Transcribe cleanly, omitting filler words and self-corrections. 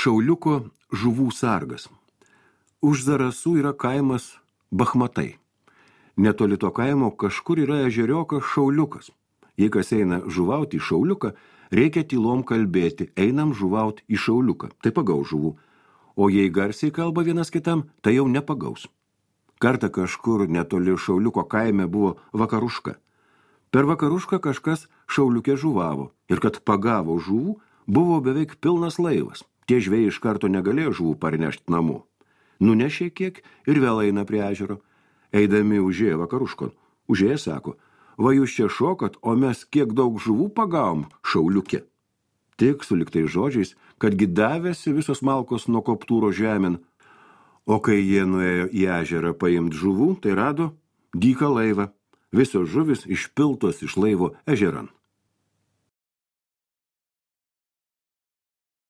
Šauliuko žuvų sargas. Už Zarasų yra kaimas Bachmatai. Netoli to kaimo kažkur yra ežeriokas Šauliukas. Jei kas eina žuvauti į Šauliuką, reikia tylom kalbėti, einam žuvauti į Šauliuką, tai pagaus žuvų. O jei garsiai kalba vienas kitam, tai jau nepagaus. Kartą kažkur netoli Šauliuko kaime buvo vakaruška. Per vakarušką kažkas Šauliukė žuvavo ir kad pagavo žuvų, buvo beveik pilnas laivas. Tie žvejai iš karto negalėjo žuvų parnešti namo. Nunešė kiek ir vėl eina prie ežero. Eidami užėjo vakaruškon. Užėję sako, va jūs čia šokat, o mes kiek daug žuvų pagavom Šauliukė. Tik su liktais žodžiais, kadgi davėsi visos malkos nuo koptūro žemėn. O kai jie nuėjo į ežerą paimt žuvų, tai rado dyką laivą. Visos žuvis išpiltos iš laivo ežeran.